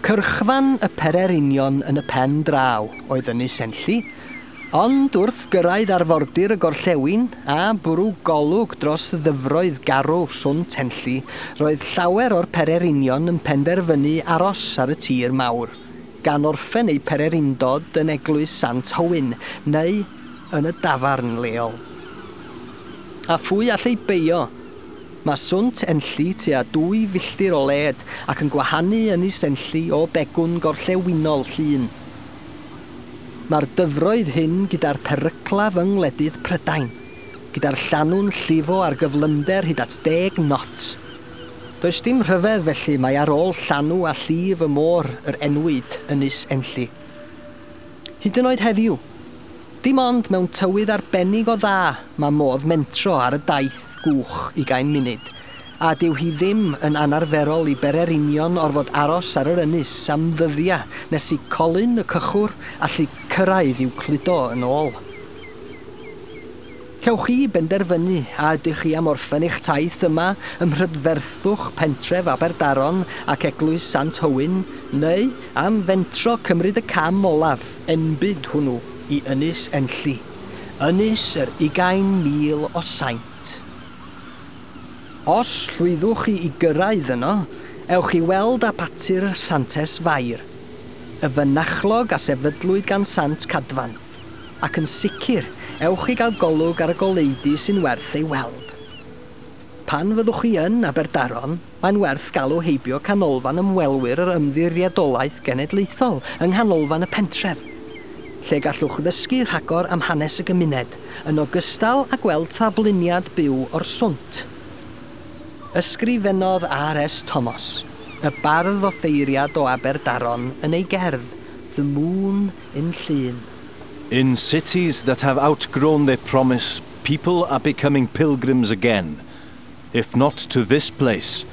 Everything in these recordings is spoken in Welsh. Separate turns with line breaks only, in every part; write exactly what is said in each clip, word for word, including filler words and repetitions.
Cyrchfan y pererinion yn y pen draw oedd Ynys Enlli, ond wrth gyrraedd arfordir y gorllewin a bwrw golwg dros ddyfroedd garw Swnt Enlli, roedd llawer o'r pererinion yn penderfynu aros ar y tir mawr, gan orffen eu pererindod yn eglwys Sant Hywyn neu yn y dafarn leol. A phwy all ei beio? Mae Swnt Enlli tua dwy filltir o led ac yn gwahanu Ynys Enlli o begwn gorllewinol Llŷn. Mae'r dyfroedd hyn gyda'r peryclaf yng ngwledydd Prydain, gyda'r llanw'n llifo ar gyflymder hyd at deg knot. Does dim rhyfedd felly mae ar ôl llanw a llif y môr yr enwyd Ynys Enlli. Hyd yn oed heddiw, dim ond mewn tywydd arbennig o dda mae modd mentro ar y daith gwch ugain munud, a dyw hi ddim yn anarferol i bererinion orfod aros ar yr ynys am ddyddiau nes i Colin y cychwr allu cyrraedd i'w cludo yn ôl. Cewch chi benderfynu a ydych chi am orffen eich taith yma ym mhrydferthwch pentref Aberdaron ac eglwys Sant Hywyn, neu am fentro cymryd y cam olaf, enbyd hwnnw, i Ynys Enlli. Ynys yr ugain mil o saint. Os llwyddwch chi i gyrraedd yno, ewch i weld abaty'r Santes Fair, y fynachlog a sefydlwyd gan Sant Cadfan, ac yn sicr, ewch i gael golwg ar y goleudy sy'n werth ei weld. Pan fyddwch chi yn Aberdaron, mae'n werth galw heibio canolfan ymwelwyr yr Ymddiriedolaeth Genedlaethol yng nghanolfan y pentref, lle gallwch ddysgu rhagor am hanes y gymuned, yn ogystal â gweld thafluniad byw o'r swnt. Ysgrifennodd R S Thomas, y bardd offeiriad o Aberdaron, yn ei gerdd, The Moon in Llŷn.
In cities that have outgrown their promise, people are becoming pilgrims again. If not to this place,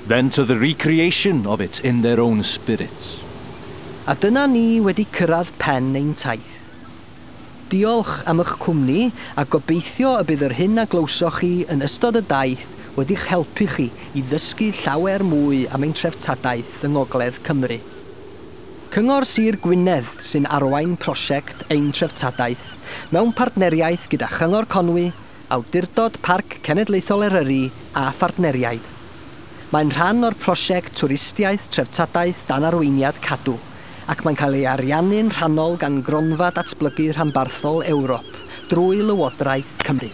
then to the recreation of it in their own spirits.
A dyna ni wedi cyrraedd pen ein taith. Diolch am eich cwmni a gobeithio y bydd yr hyn a glywsoch chi yn ystod y daith wedi'ch helpu chi i ddysgu llawer mwy am ein treftadaeth yng Ngogledd Cymru. Cyngor Sir Gwynedd sy'n arwain prosiect Ein Treftadaeth mewn partneriaeth gyda Chyngor Conwy, Awdurdod Parc Cenedlaethol Eryri a phartneriaid. Mae'n rhan o'r prosiect Twristiaeth Treftadaeth dan arweiniad Cadw, ac mae'n cael ei ariannu'n rhannol gan Gronfa Datblygu Rhanbarthol Ewrop drwy Lywodraeth Cymru.